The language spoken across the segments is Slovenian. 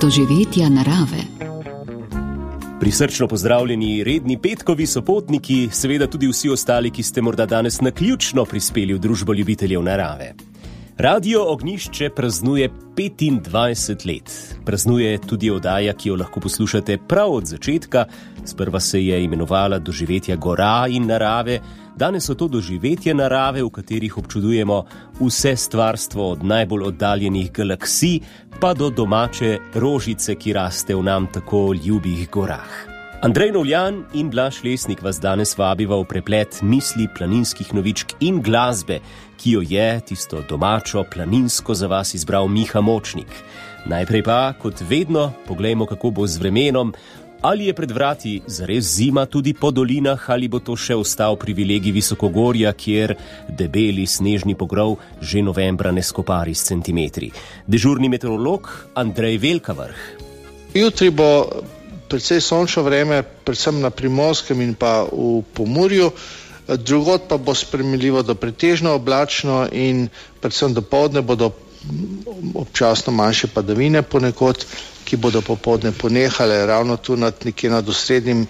Doživetja narave. Prisrčno pozdravljeni redni petkovi sopotniki, seveda tudi vsi ostali, ki ste morda danes naključno prispeli v družbo ljubiteljev narave. Radio Ognjišče praznuje 25 let. Praznuje tudi oddaja, ki jo lahko poslušate prav od začetka. Sprva se je imenovala Doživetja gora in narave. Danes so to doživetja narave, v katerih občudujemo vse stvarstvo od najbolj oddaljenih galaksij pa do domače rožice, ki raste v nam tako ljubih gorah. Andrej Novljan in Blaž Lesnik vas danes vabiva v preplet misli, planinskih novičk in glasbe, ki jo je, tisto domačo, planinsko, za vas izbral Miha Močnik. Najprej pa, kot vedno, poglejmo, kako bo z vremenom. Ali je pred vrati zares zima tudi po dolinah, ali bo to še ostal privilegij visokogorja, kjer debeli snežni pogrov že novembra ne skopari s centimetri. Dežurni meteorolog Andrej Velkavrh. Jutri bo precej sončno vreme, predvsem na Primorskem in pa v Pomurju. Drugod pa bo sprejemljivo do pretežno oblačno in predvsem dopoldne bodo občasno manjše padavine ponekod, ki bodo popoldne ponehale ravno tu nekje nad osrednjim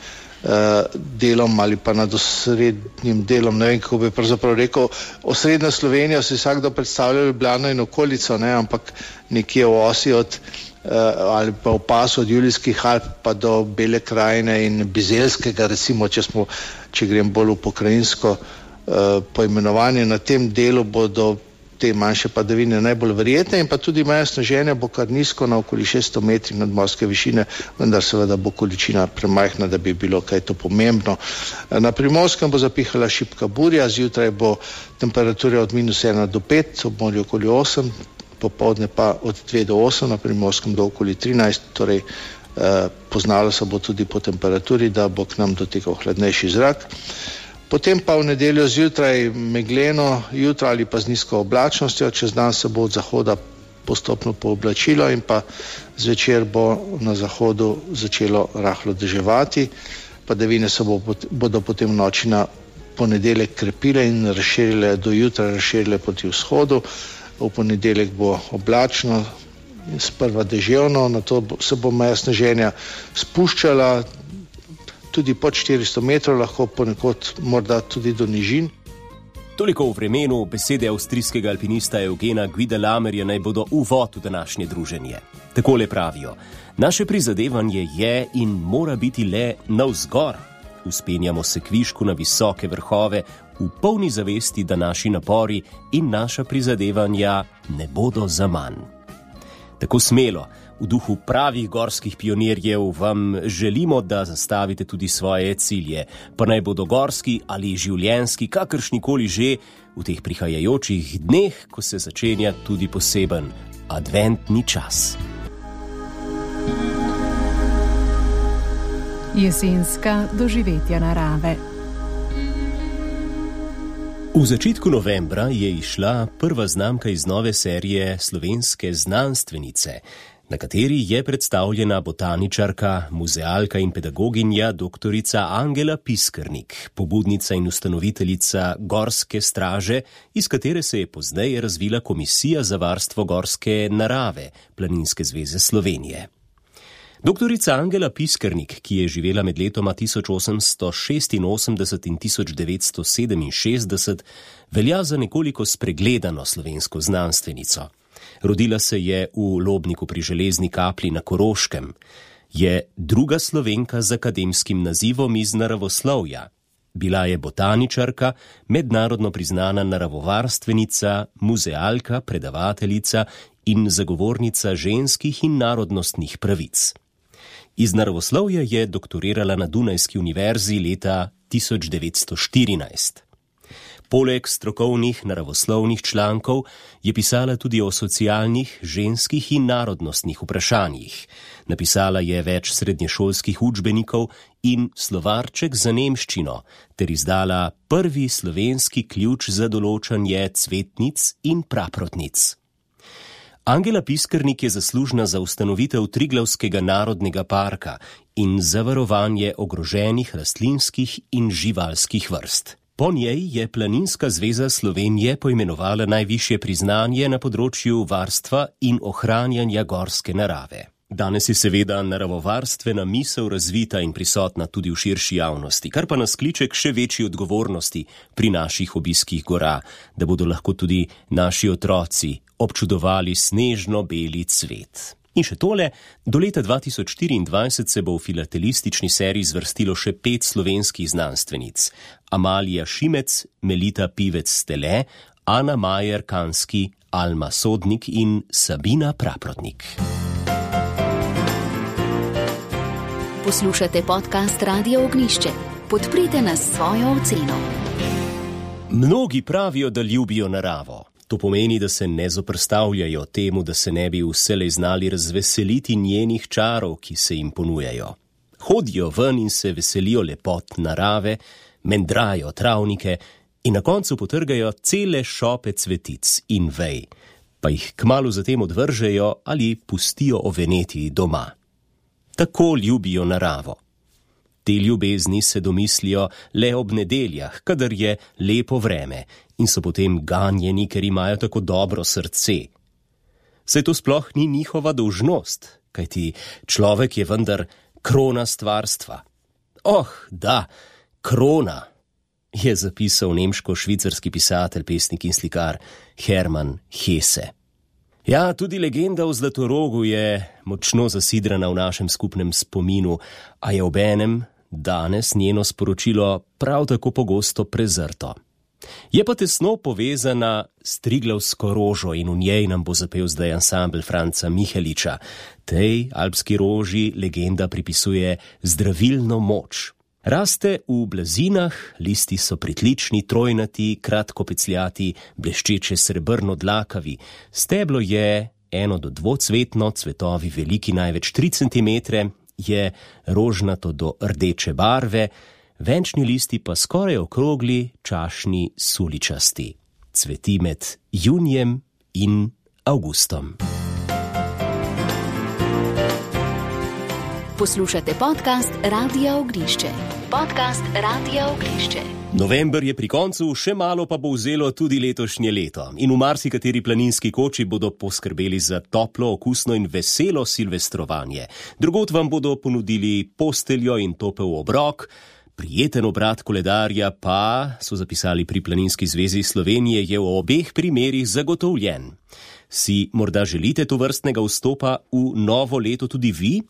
delom ali pa nad osrednjim delom, ne vem, kako bi pravzaprav rekel. Osrednja Slovenija si vsakdo predstavlja Ljubljano in okolico, ne, ampak nekje v osi ali pa v pasu od Julijskih Alp pa do Bele krajine in Bizeljskega, recimo, če grem bolj v pokrajinsko poimenovanje. Na tem delu bodo te manjše padavine najbolj verjetne in pa tudi meja sneženja bo kar nizko, na okoli 600 metrih nadmorske višine, vendar seveda bo količina premajhna, da bi bilo kaj to pomembno. Na Primorskem bo zapihala šibka burja, zjutraj bo temperatura od -1 do 5, ob morju okoli 8, popoldne pa od 2 do 8, na Primorskem do okoli 13, torej poznalo se bo tudi po temperaturi, da bo k nam dotekal hladnejši zrak. Potem pa v nedeljo zjutraj megleno jutro ali pa z nizko oblačnostjo, čez dan se bo od zahoda postopno pooblačilo in pa zvečer bo na zahodu začelo rahlo deževati. Padavine se bodo potem v noči na ponedeljek krepile in razširile do jutra, razširile proti vzhodu. V ponedeljek bo oblačno, sprva deževno, nato se bo meja sneženja spuščala tudi pod 400 metrov, lahko ponekod morda tudi do nižin. Toliko v vremenu, besede avstrijskega alpinista Eugena Guidelamerja naj bodo uvod v današnje druženje. Takole pravijo: naše prizadevanje je in mora biti le navzgor. Vzpenjamo se kvišku na visoke vrhove v polni zavesti, da naši napori in naša prizadevanja ne bodo zaman. Tako smelo, v duhu pravih gorskih pionirjev vam želimo, da zastavite tudi svoje cilje, pa naj bodo gorski ali življenjski, kakršnikoli že, v teh prihajajočih dneh, ko se začenja tudi poseben adventni čas. Jesenska doživetja narave. V začetku novembra je izšla prva znamka iz nove serije Slovenske znanstvenice, na kateri je predstavljena botaničarka, muzealka in pedagoginja doktorica Angela Piskernik, pobudnica in ustanoviteljica Gorske straže, iz katere se je pozneje razvila Komisija za varstvo gorske narave Planinske zveze Slovenije. Doktorica Angela Piskernik, ki je živela med letoma 1886 in 1967, velja za nekoliko spregledano slovensko znanstvenico. Rodila se je v Lobniku pri Železni Kapli na Koroškem. Je druga Slovenka z akademskim nazivom iz naravoslovja. Bila je botaničarka, mednarodno priznana naravovarstvenica, muzealka, predavateljica in zagovornica ženskih in narodnostnih pravic. Iz naravoslovja je doktorirala na Dunajski univerzi leta 1914. Poleg strokovnih naravoslovnih člankov je pisala tudi o socialnih, ženskih in narodnostnih vprašanjih. Napisala je več srednješolskih učbenikov in slovarček za nemščino ter izdala prvi slovenski ključ za določanje cvetnic in praprotnic. Angela Piskrnik je zaslužna za ustanovitev Triglavskega narodnega parka in zavarovanje ogroženih rastlinskih in živalskih vrst. Po njej je Planinska zveza Slovenije poimenovala najvišje priznanje na področju varstva in ohranjanja gorske narave. Danes je seveda naravovarstvena misel razvita in prisotna tudi v širši javnosti, kar pa nas kliče k še večji odgovornosti pri naših obiskih gora, da bodo lahko tudi naši otroci občudovali snežno beli cvet. In še tole, do leta 2024 se bo v filatelistični seriji zvrstilo še 5 slovenskih znanstvenic. Amalija Šimec, Melita Pivec-Stele, Ana Majer-Kanski, Alma Sodnik in Sabina Praprotnik. Poslušate podcast Radio Ognjišče. Podprite nas s svojo oceno. Mnogi pravijo, da ljubijo naravo. To pomeni, da se ne zoprstavljajo temu, da se ne bi vselej znali razveseliti njenih čarov, ki se jim ponujajo. Hodijo ven in se veselijo lepot narave, mendrajo travnike in na koncu potrgajo cele šope cvetic in vej, pa jih kmalu zatem odvržejo ali pustijo oveneti doma. Tako ljubijo naravo. Te ljubezni se domislijo le ob nedeljah, kadar je lepo vreme in so potem ganjeni, ker imajo tako dobro srce. Saj to sploh ni njihova dolžnost, kajti človek je vendar krona stvarstva. Da, krona, je zapisal nemško-švicarski pisatelj, pesnik in slikar Hermann Hesse. Ja, tudi legenda o Zlatorogu je močno zasidrana v našem skupnem spominu, a je obenem danes njeno sporočilo prav tako pogosto prezrto. Je pa tesno povezana s Triglavsko rožo in v njej nam bo zapel zdaj ansambel Franca Miheliča. Tej alpski roži legenda pripisuje zdravilno moč. Raste v blazinah, listi so pritlični, trojnati, kratkopecljati, bleščeče srebrno dlakavi. Steblo je 1 do 2-cvetno, cvetovi veliki največ 3 cm, je rožnato do rdeče barve, venčni listi pa skoraj okrogli, čašni, suličasti. Cveti med junijem in avgustom. Poslušate podcast Radia Ognjišče. Podcast Radia Ognjišče. November je pri koncu, še malo pa bo vzelo tudi letošnje leto. In v marsikateri planinski koči bodo poskrbeli za toplo, okusno in veselo silvestrovanje. Drugod vam bodo ponudili posteljo in topel obrok. Prijeten obrat koledarja pa, so zapisali pri Planinski zvezi Slovenije, je v obeh primerih zagotovljen. Si morda želite tovrstnega vstopa v novo leto tudi vi?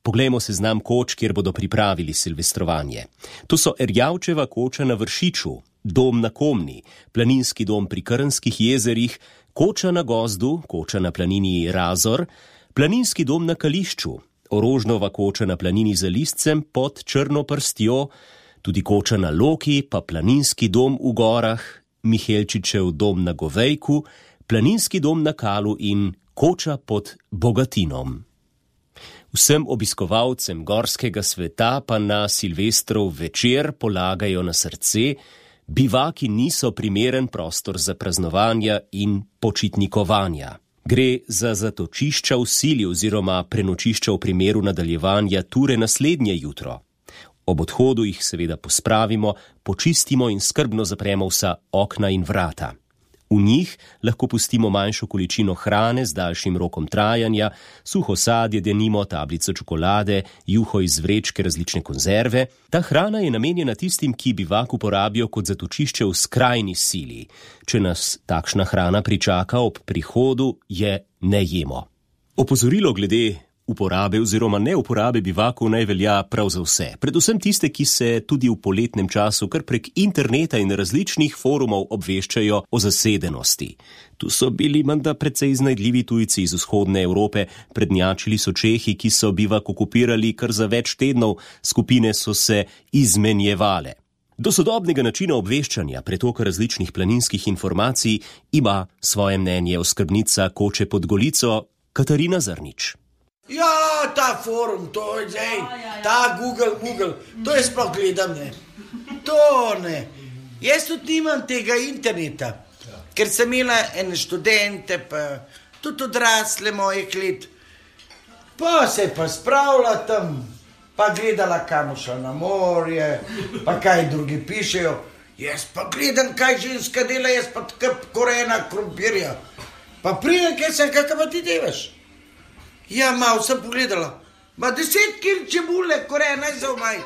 Poglejmo seznam koč, kjer bodo pripravili silvestrovanje. To so Erjavčeva koča na Vršiču, dom na Komni, planinski dom pri Krnskih jezerih, koča na Gozdu, koča na planini Razor, planinski dom na Kališču, Orožnova koča na planini za Liscem pod Črno prstjo, tudi koča na Loki, pa planinski dom v gorah, Mihelčičev dom na Govejku, planinski dom na Kalu in koča pod Bogatinom. Vsem obiskovalcem gorskega sveta pa na Silvestrov večer polagajo na srce, bivaki niso primeren prostor za praznovanja in počitnikovanja. Gre za zatočišča v sili oziroma prenočišča v primeru nadaljevanja ture naslednje jutro. Ob odhodu jih seveda pospravimo, počistimo in skrbno zapremo vsa okna in vrata. V njih lahko pustimo manjšo količino hrane z daljšim rokom trajanja, suho sadje, denimo tablico čokolade, juho iz vrečke, različne konzerve. Ta hrana je namenjena tistim, ki bivak uporabijo kot zatočišče v skrajni sili. Če nas takšna hrana pričaka ob prihodu, je ne jemo. Opozorilo glede uporabe oziroma neuporabe bivakov naj velja prav za vse. Predvsem tiste, ki se tudi v poletnem času kar prek interneta in različnih forumov obveščajo o zasedenosti. Tu so bili menda precej iznajdljivi tujci iz vzhodne Evrope, prednjačili so Čehi, ki so bivak okupirali kar za več tednov, skupine so se izmenjevale. Do sodobnega načina obveščanja, pretoka različnih planinskih informacij, ima svoje mnenje oskrbnica koče pod Golico Katarina Zrnič. Ja, ta forum, to je zdaj, ta Google, to jaz sploh gledam, ne. To ne. Jaz tudi nimam tega interneta, ker sem imela ene študente, pa tudi odrasle mojih let. Pa se je pa spravila tam, pa gledala, kam šla na morje, pa kaj drugi pišejo. Jaz pa gledam, kaj ženska dela, jaz pa tako korena krompirja. Pa prije, kaj sem, kakaj pa ti delaš? Ja, malo sem pogledala. Ma 10 kil čebule, korena za omajt.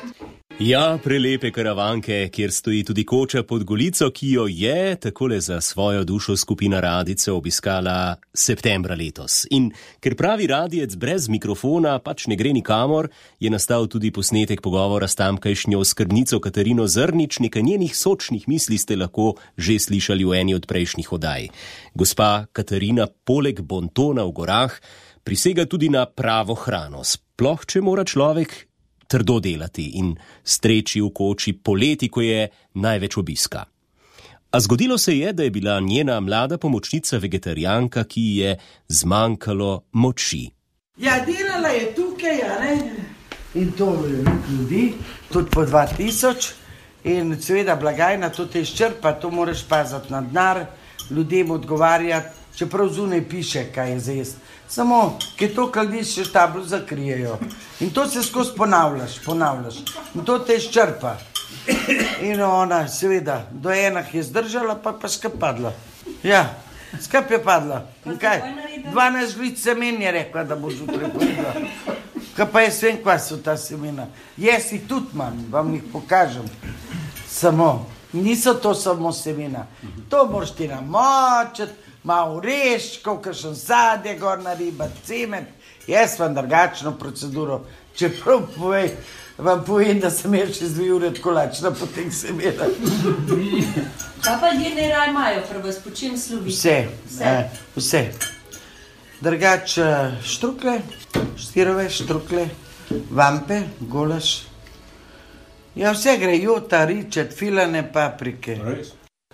Ja, prelepe Karavanke, kjer stoji tudi koča pod Golico, ki jo je takole za svojo dušo skupina Radice obiskala septembra letos. In ker pravi radijec brez mikrofona pač ne gre nikamor, je nastal tudi posnetek pogovora s tamkajšnjo oskrbnico Katarino Zrnič. Nekaj njenih sočnih misli ste lahko že slišali v eni od prejšnjih oddaj. Gospa Katarina poleg bontona v gorah prisega tudi na pravo hrano, sploh če mora človek trdo delati in streči v koči poleti, ko je največ obiska. A zgodilo se je, da je bila njena mlada pomočnica vegetarijanka, ki je zmanjkalo moči. Ja, delala je tukaj, ja, ne? In to ljudi, tudi po 2000, in seveda blagajna, to te izčrpa, to moraš paziti na denar, ljudem odgovarjati, čeprav zunaj piše, kaj je za jesti. Samo, ki to kaldiš, še tablo zakrijejo. In to se skozi ponavljaš. In to te izčrpa. In ona, seveda, do enah je zdržala, pa skap padla. Ja, skap je padla. In kaj? 12 žlic semen je rekla, da boš jutri pojedla. Kaj pa jaz vem, kva so ta semena. Jaz jih tudi imam, vam jih pokažem. Samo, niso to samo semena. To moraš ti namočiti, malo reščkov, kakšen sadje, gorna riba, cimet. Jaz vam drugačno proceduro, čeprav vam povem, da sem jaz še 2 ure tako lačna po teh semenah. Kaj pa ljudje raj imajo, prvo po čem slovi? Vse. Drugač štrukle, štirove štrukle, vampe, golaž. Ja, vse gre, jota, ričet, filane, paprike.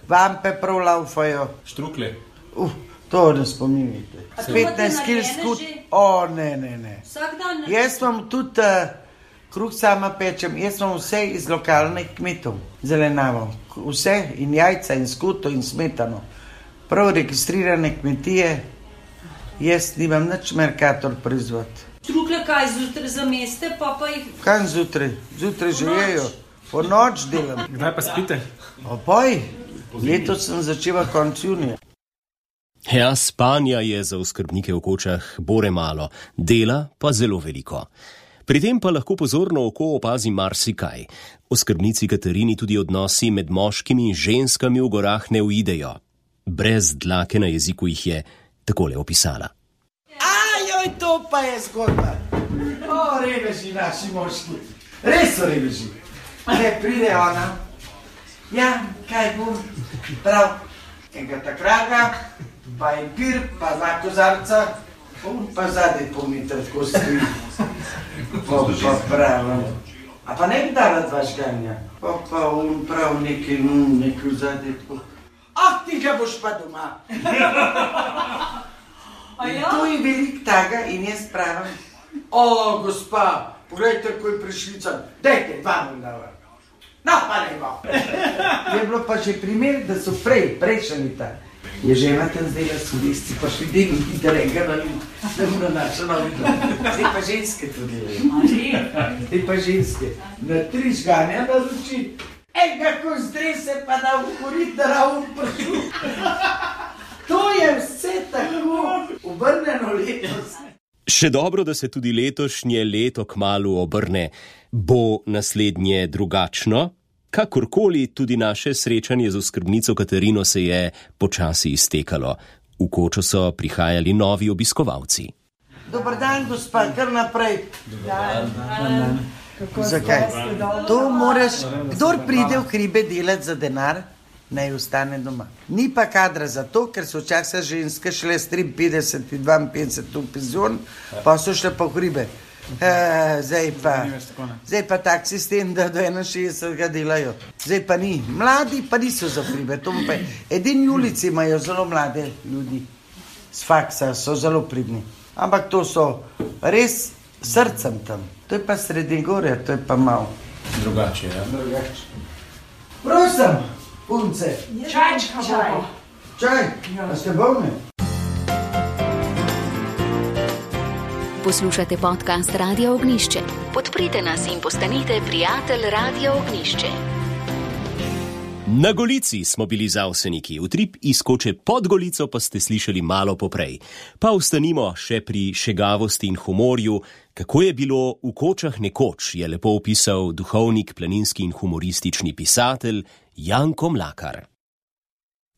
Vampe prav laufajo. Štrukle. To ne spominjate. 15 kil skut. Ne. Vsak dan? Jaz vam tudi kruh sama pečem. Jaz vam vse iz lokalnih kmetov zelenavo. Vse in jajca in skuto in smetano. Prav registrirane kmetije. Jaz nimam nič Mercator proizvod. Štrukle kaj zjutraj zameste, pa jih... Kaj zjutraj? Zjutraj že jejo. Po noč delam. Kdaj pa spite? Opoj. Letos sem začela konec junija. Ja, spanja je za oskrbnike v kočah bore malo, dela pa zelo veliko. Pri tem pa lahko pozorno oko opazi marsikaj. Oskrbnici Katarini tudi odnosi med moškimi in ženskami v gorah ne uidejo. Brez dlake na jeziku jih je takole opisala. Ajoj, to pa je zgodba. O, reveži naši moški. Res so reveži. Ne pride ona. Ja, kaj bom? Prav, enega takraga, pa je pir, pa 2 kozarca, pa zadaj pomiter, tako stoji. Pa prav. A pa ne bi dala 2 žganja? Pa prav nekaj zadaj tako. Ah, ti ga boš pa doma. To je velik taga in jaz pravim, o, gospa, pogledajte, ko je prišlica, dajte 2 mu dava. No, pa ne bo. Je bilo pa že primer, da so prejšnji leta. Je žena tam zdaj sodisti, pa še vidim, da rega na ljud, da mu na naša novina. Zdaj pa ženske to delajo. Zdaj pa ženske. Na 3 žganja na luči, kako zdrese pa da ukorit, da ravno pršu. To je vse tako obrneno letos. Še dobro, da se tudi letošnje leto kmalu obrne. Bo naslednje drugačno? Kakorkoli, tudi naše srečanje z oskrbnico Katarino se je počasi iztekalo. V kočo so prihajali novi obiskovalci. Dobar dan, gospa, kar naprej. Dobar dan. Zakaj? To moraš, kdor pride v hribe delati za denar, naj ostane doma. Ni pa kadra za to, ker so včasih ženske šle s 53 in 52 v penzion, pa so šle pa v hribe. Zdaj pa tak sistem, da do 61 delajo. Zdaj pa ni. Mladi pa niso za hribe. Edini ulici imajo zelo mlade ljudi. Z faksa so zelo pridni. Ampak to so res srcem tam. To je pa Srednjegorje, to je pa malo. Drugače, ja? Drugače. Prosim, punce. Čaj. Čaj? A ste bolni? Poslušate podcast Radia Ognišče. Podprite nas in postanite prijatelj Radia Ognišče. Na Golici smo bili zavseniki, utrip izkoče pod Golico pa ste slišali malo poprej. Pa ostanimo še pri šegavosti in humorju. Kako je bilo v Kočah nekoč, je lepo opisal duhovnik, planinski in humoristični pisatelj Janko Mlakar.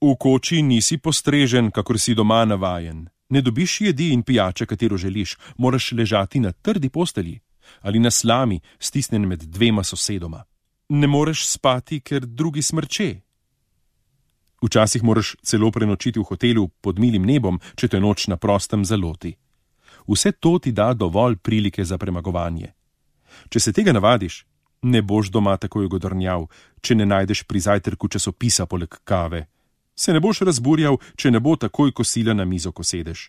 V koči nisi postrežen, kakor si doma navajen. Ne dobiš jedi in pijače, katero želiš, moraš ležati na trdi postelji ali na slami, stisnen med dvema sosedoma. Ne moreš spati, ker drugi smrče. Včasih moraš celo prenočiti v hotelu pod milim nebom, če te noč na prostem zaloti. Vse to ti da dovolj prilike za premagovanje. Če se tega navadiš, ne boš doma takoj godrnjav, če ne najdeš pri zajtrku časopisa poleg kave. Se ne boš razburjal, če ne bo takoj kosila na mizo, ko sedeš.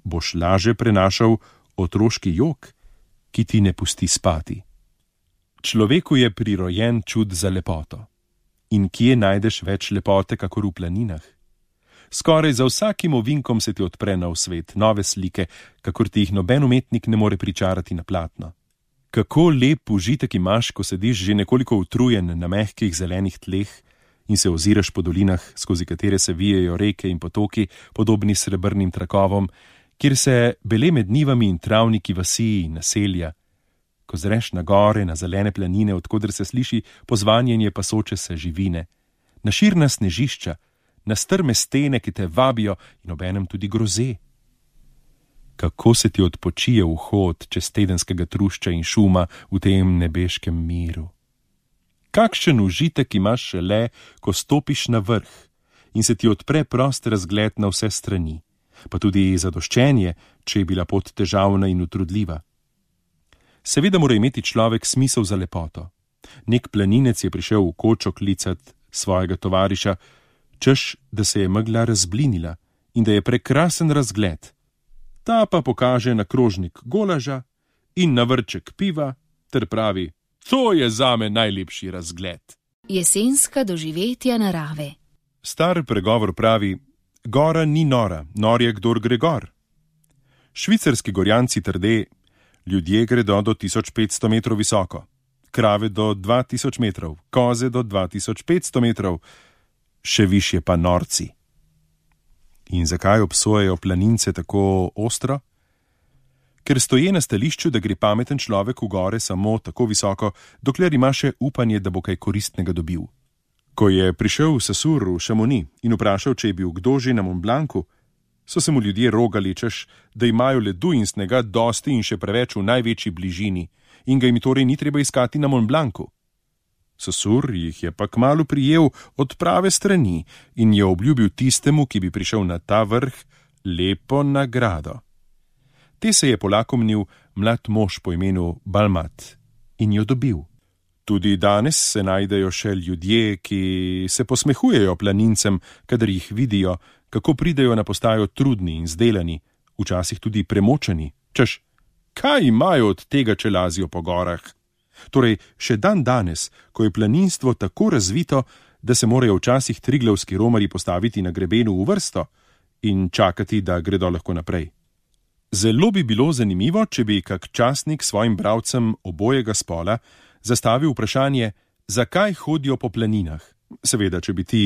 Boš laže prenašal otroški jok, ki ti ne pusti spati. Človeku je prirojen čud za lepoto. In kje najdeš več lepote, kakor v planinah? Skoraj za vsakim ovinkom se ti odpre nov svet, nove slike, kakor ti jih noben umetnik ne more pričarati na platno. Kako lep užitek imaš, ko sediš že nekoliko utrujen na mehkih zelenih tleh in se oziraš po dolinah, skozi katere se vijejo reke in potoki, podobni srebrnim trakovom, kjer se bele med njivami in travniki vasi in naselja. Ko zreš na gore, na zelene planine, odkoder se sliši pozvanjenje pasoče se živine, na širna snežišča, na strme stene, ki te vabijo in obenem tudi groze. Kako se ti odpočije vhod čez tedenskega trušča in šuma v tem nebeškem miru. Kakšen užitek imaš šele, ko stopiš na vrh in se ti odpre prost razgled na vse strani, pa tudi zadoščenje, če je bila pot težavna in utrudljiva. Seveda mora imeti človek smisel za lepoto. Nek planinec je prišel v Kočo klicat svojega tovariša, češ, da se je megla razblinila in da je prekrasen razgled. Ta pa pokaže na krožnik golaža in na vrček piva ter pravi: to je zame najlepši razgled. Jesenska doživetja narave. Star pregovor pravi: gora ni nora, nor je kdor gre gor. Švicarski gorjanci trde: ljudje gredo do 1500 metrov visoko, krave do 2000 metrov, koze do 2500 metrov, še višje pa norci. In zakaj obsojajo planince tako ostro? Ker stoje na stališču, da gre pameten človek v gore samo tako visoko, dokler ima še upanje, da bo kaj koristnega dobil. Ko je prišel Saussure v Chamonix in vprašal, če je bil kdo že na Mont Blancu, so se mu ljudje rogali, češ, da imajo ledu in snega dosti in še preveč v največji bližini in ga jim torej ni treba iskati na Mont Blancu. Saussure jih je pa kmalu prijel od prave strani in je obljubil tistemu, ki bi prišel na ta vrh, lepo nagrado. Te se je polakomnil mlad mož po imenu Balmat in jo dobil. Tudi danes se najdejo še ljudje, ki se posmehujejo planincem, kadar jih vidijo, kako pridejo na postajo trudni in zdelani, včasih tudi premočeni, češ, kaj imajo od tega, če lazijo po gorah? Torej, še dan danes, ko je planinstvo tako razvito, da se morajo včasih triglavski romarji postaviti na grebenu v vrsto in čakati, da gredo lahko naprej. Zelo bi bilo zanimivo, če bi kak časnik svojim bralcem obojega spola zastavil vprašanje, zakaj hodijo po planinah, seveda, če bi ti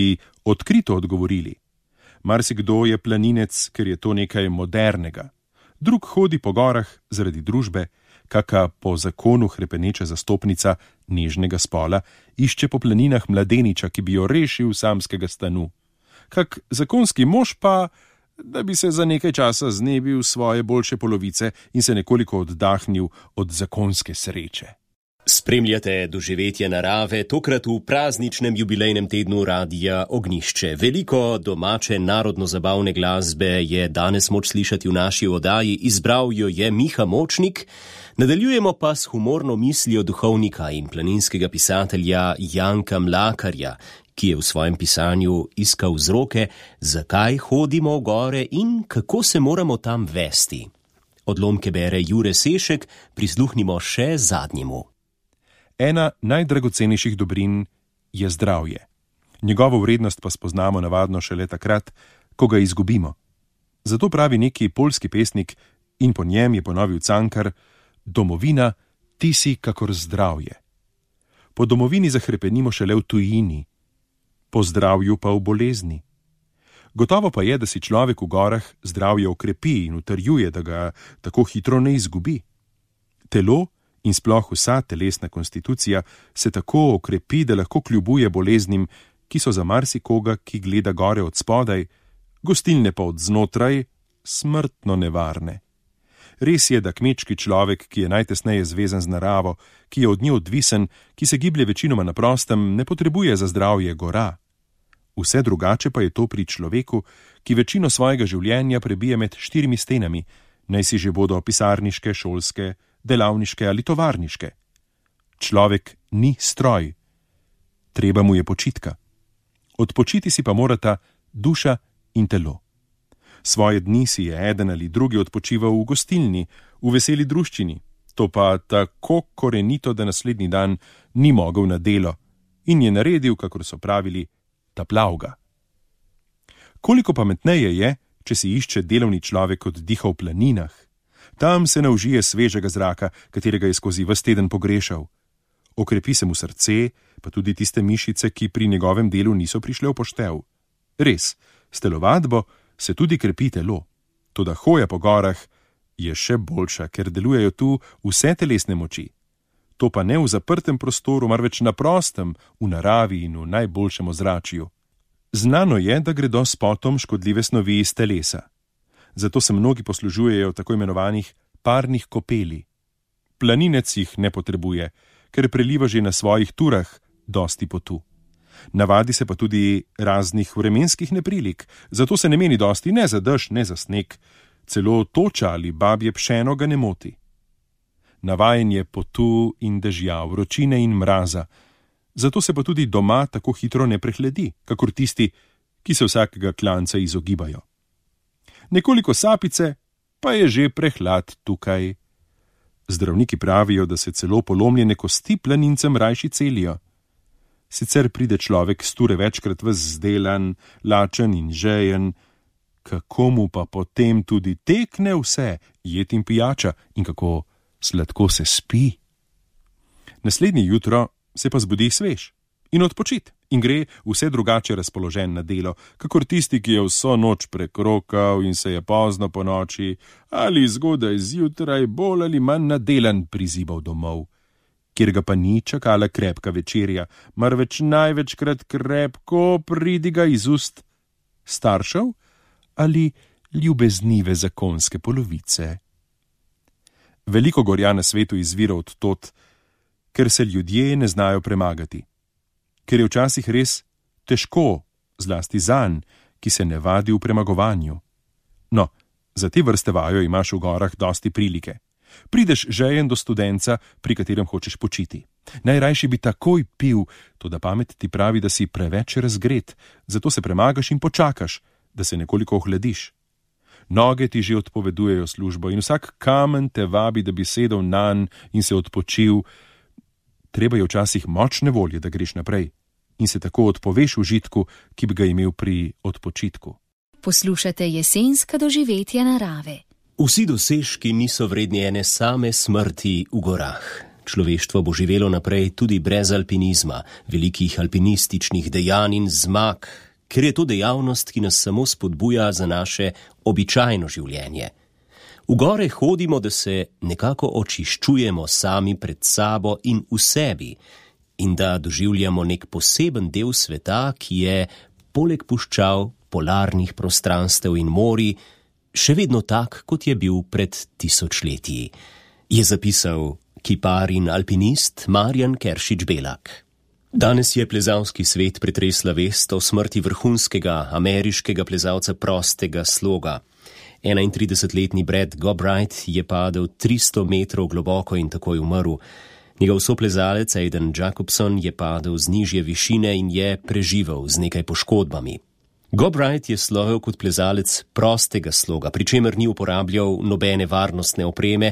odkrito odgovorili. Marsikdo je planinec, ker je to nekaj modernega. Drug hodi po gorah zaradi družbe, kaka po zakonu hrepeneča zastopnica nežnega spola išče po planinah mladeniča, ki bi jo rešil samskega stanu. Kak zakonski mož pa, da bi se za nekaj časa znebil svoje boljše polovice in se nekoliko oddahnil od zakonske sreče. Spremljate doživetja narave, tokrat v prazničnem jubilejnem tednu Radia Ognišče. Veliko domače narodno-zabavne glasbe je danes moč slišati v naši oddaji, izbral jo je Miha Močnik. Nadaljujemo pa s humorno mislijo duhovnika in planinskega pisatelja Janka Mlakarja, ki je v svojem pisanju iskal vzroke, zakaj hodimo v gore in kako se moramo tam vesti. Odlomke bere Jure Sešek, prisluhnimo še zadnjemu. Ena najdragocenejših dobrin je zdravje. Njegovo vrednost pa spoznamo navadno šele takrat, ko ga izgubimo. Zato pravi neki poljski pesnik: In po njem je ponovil Cankar: domovina, ti si kakor zdravje. Po domovini zahrepenimo šele v tujini, po zdravju pa v bolezni. Gotovo pa je, da si človek v gorah zdravje okrepi in utrjuje, da ga tako hitro ne izgubi. Telo in sploh vsa telesna konstitucija se tako okrepi, da lahko kljubuje boleznim, ki so za marsikoga, ki gleda gore od spodaj, gostilne pa od znotraj, smrtno nevarne. Res je, da kmečki človek, ki je najtesneje zvezan z naravo, ki je od nje odvisen, ki se giblje večinoma na prostem, ne potrebuje za zdravje gora. Vse drugače pa je to pri človeku, ki večino svojega življenja prebije med 4 stenami, naj si že bodo pisarniške, šolske, delavniške ali tovarniške. Človek ni stroj. Treba mu je počitka. Odpočiti si pa morata duša in telo. Svoje dni si je eden ali drugi odpočival v gostilni, v veseli druščini, to pa tako korenito, da naslednji dan ni mogel na delo in je naredil, kakor so pravili, taplavga. Koliko pametneje je, če si išče delovni človek oddiha v planinah. Tam se naužije svežega zraka, katerega je skozi ves teden pogrešal. Okrepi se mu srce, pa tudi tiste mišice, ki pri njegovem delu niso prišle v poštev. Res, s telovadbo se tudi krepi telo. Toda hoja po gorah je še boljša, ker delujejo tu vse telesne moči. To pa ne v zaprtem prostoru, marveč na prostem, v naravi in v najboljšem ozračju. Znano je, da gredo s potom škodljive snovi iz telesa. Zato se mnogi poslužujejo tako imenovanih parnih kopeli. Planinec jih ne potrebuje, ker preliva že na svojih turah dosti potu. Navadi se pa tudi raznih vremenskih neprilik, zato se ne meni dosti ne za dež, ne za sneg, celo toča ali babje pšeno ga ne moti. Navajen je potu in dežja, vročine in mraza, zato se pa tudi doma tako hitro ne prehledi, kakor tisti, ki se vsakega klanca izogibajo. Nekoliko sapice, pa je že prehlad tukaj. Zdravniki pravijo, da se celo polomljene kosti planincem rajši celijo. Sicer pride človek s ture večkrat ves zdelan, lačen in žejen, kako mu pa potem tudi tekne vse, jed in pijača, in kako sladko se spi. Naslednje jutro se pa zbudi svež in odpočit in gre vse drugače razpoložen na delo, kakor tisti, ki je vso noč prekrokal in se je pozno po noči ali zgodaj zjutraj bolj ali manj nadelan prizibal domov, kjer ga pa ni čakala krepka večerja, marveč največkrat krepko pridiga iz ust staršev ali ljubeznive zakonske polovice. Veliko gorja na svetu izvira od tod, ker se ljudje ne znajo premagati. Ker je včasih res težko, zlasti zanj, ki se ne vadi v premagovanju. No, za te vrste vajo imaš v gorah dosti prilike. Prideš žejen do studenca, pri katerem hočeš počiti. Najrajši bi takoj pil, toda pamet ti pravi, da si preveč razgret, zato se premagaš in počakaš, da se nekoliko ohladiš. Noge ti že odpovedujejo službo in vsak kamen te vabi, da bi sedel nanj in se odpočil. Treba je včasih močne volje, da greš naprej in se tako odpoveš užitku, ki bi ga imel pri odpočitku. Poslušate jesenska doživetja narave. Vsi dosežki niso vredni ene same smrti v gorah. Človeštvo bo živelo naprej tudi brez alpinizma, velikih alpinističnih dejanj in zmag, ker je to dejavnost, ki nas samo spodbuja za naše običajno življenje. V gore hodimo, da se nekako očiščujemo sami pred sabo in v sebi in da doživljamo nek poseben del sveta, ki je, poleg puščav, polarnih prostranstev in morij, še vedno tak, kot je bil pred 1000 leti, je zapisal kipar in alpinist Marjan Keršič-Belak. Danes je plezalski svet pretresla vest o smrti vrhunskega ameriškega plezalca prostega sloga. 31-letni Brad Gobright je padel 300 metrov globoko in takoj umrl. Njegov soplezalec Aidan Jacobson je padel z nižje višine in je preživel z nekaj poškodbami. Gobright je slovel kot plezalec prostega sloga, pri čemer ni uporabljal nobene varnostne opreme,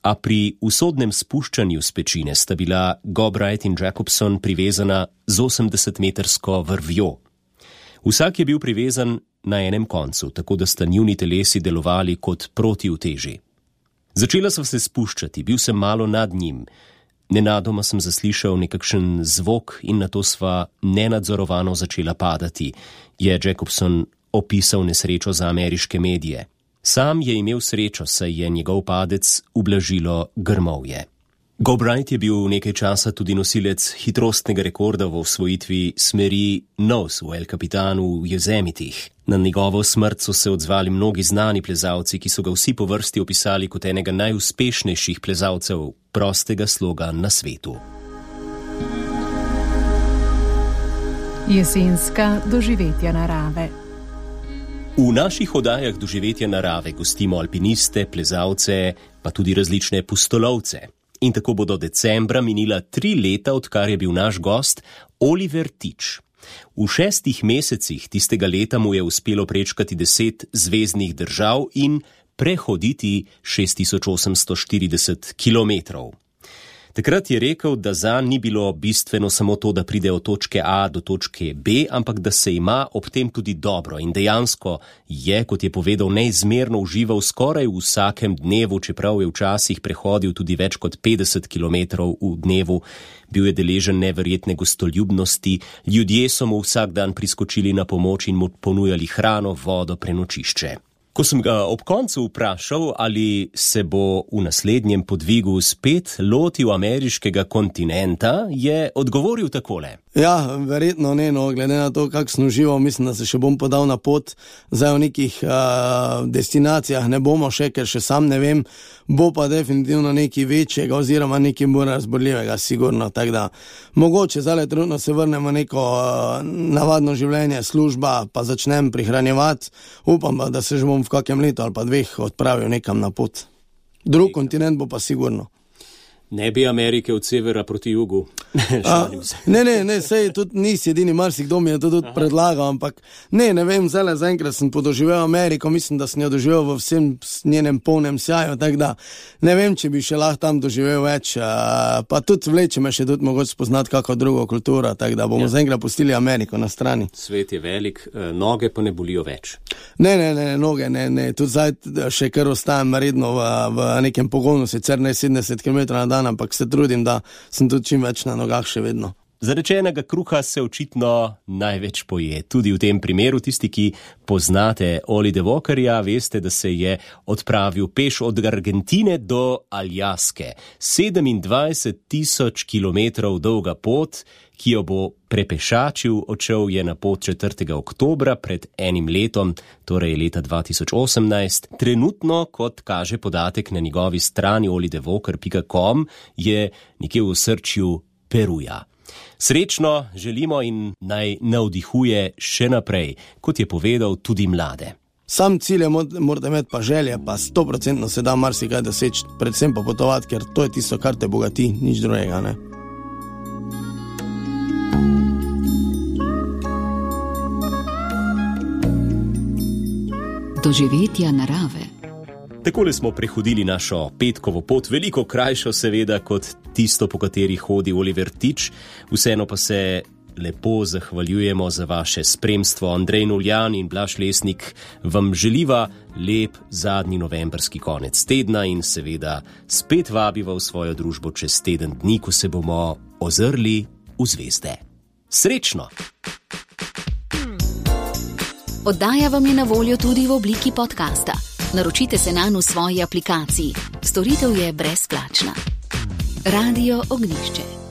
a pri usodnem spuščanju s pečine sta bila Gobright in Jacobson privezana z 80-metrsko vrvjo. Vsak je bil privezan na enem koncu, tako da sta njuni telesi delovali kot protiuteži. Začela sva se spuščati, bil sem malo nad njim. Nenadoma sem zaslišal nekakšen zvok in nato sva nenadzorovano začela padati, je Jacobson opisal nesrečo za ameriške medije. Sam je imel srečo, saj je njegov padec ublažilo grmovje. Gobright je bil nekaj časa tudi nosilec hitrostnega rekorda v osvojitvi smeri Nose v El Capitanu v Yosemitih. Na njegovo smrt so se odzvali mnogi znani plezalci, ki so ga vsi po vrsti opisali kot enega najuspešnejših plezalcev prostega sloga na svetu. Jesenska doživetja narave. V naših oddajah doživetja narave gostimo alpiniste, plezalce, pa tudi različne pustolovce. In tako bo do decembra minila 3 leta, odkar je bil naš gost Oliver Tič. V 6 mesecih tistega leta mu je uspelo prečkati 10 zvezdnih držav in prehoditi 6840 kilometrov. Takrat je rekel, da zanj ni bilo bistveno samo to, da pride od točke A do točke B, ampak da se ima ob tem tudi dobro. In dejansko je, kot je povedal, neizmerno užival skoraj v vsakem dnevu, čeprav je včasih prehodil tudi več kot 50 kilometrov v dnevu. Bil je deležen neverjetne gostoljubnosti, ljudje so mu vsak dan priskočili na pomoč in mu ponujali hrano, vodo, prenočišče. Ko sem ga ob koncu vprašal, ali se bo v naslednjem podvigu spet lotil ameriškega kontinenta, je odgovoril takole. Ja, verjetno ne, no, glede na to, kak sem užival, mislim, da se še bom podal na pot. Zdaj v nekih destinacijah ne bomo še, ker še sam ne vem, bo pa definitivno nekaj večjega oziroma nekaj bolj razborljivega, sigurno. Tako da, mogoče zdaj trenutno se vrnemo neko navadno življenje, služba, pa začnem prihranjevati. Upam pa, da se že bom v kakem letu ali pa 2 odpravil nekam na pot. Drug kontinent bo pa sigurno. Ne bi Amerike od severa proti jugu. Ne, sej tudi nisi edini, marsikdo mi je to tudi predlagal, ampak ne vem, zaenkrat sem podoživel Ameriko, mislim, da sem jo doživel v vsem njenem polnem sjaju, tako da ne vem, če bi še lahko tam doživel več, pa tudi vleče me še tudi mogoče spoznati kako drugo kulturo, tako da bomo zaenkrat pustili Ameriko na strani. Svet je velik, noge pa ne bolijo več. Ne, noge ne, tudi zdaj še kar ostajam redno v nekem pogonu, sicer ne 70 km na dan, ampak se trudim, da sem tudi čim več na nogah še vedno. Zarečenega kruha se očitno največ poje. Tudi v tem primeru tisti, ki poznate Oli de Walkerja, veste, da se je odpravil peš od Argentine do Aljaske. 27.000 kilometrov dolga pot, ki jo bo prepešačil, odšel je na pot 4. oktobra pred 1 letom, torej leta 2018. Trenutno, kot kaže podatek na njegovi strani olidewalker.com, je nekje v osrčju Peruja. Srečno želimo in naj navdihuje še naprej, kot je povedal, tudi mlade. Sam cilj morate imeti pa želje, pa 100% se da marsikaj doseči, predvsem pa potovati, ker to je tisto, kar te bogati, nič drugega, ne. Doživetja narave. Takole smo prehodili našo petkovo pot, veliko krajšo seveda kot tisto, po kateri hodi Oliver Tič. Vseeno pa se lepo zahvaljujemo za vaše spremstvo. Andrej Noljan in Blaž Lesnik vam želiva lep zadnji novembrski konec tedna in seveda spet vabiva v svojo družbo čez teden dni, ko se bomo ozrli v zvezde. Srečno! Oddaja vam je na voljo tudi v obliki podcasta. Naročite se nanj v svoji aplikaciji. Storitev je brezplačna. Radio Ognjišče.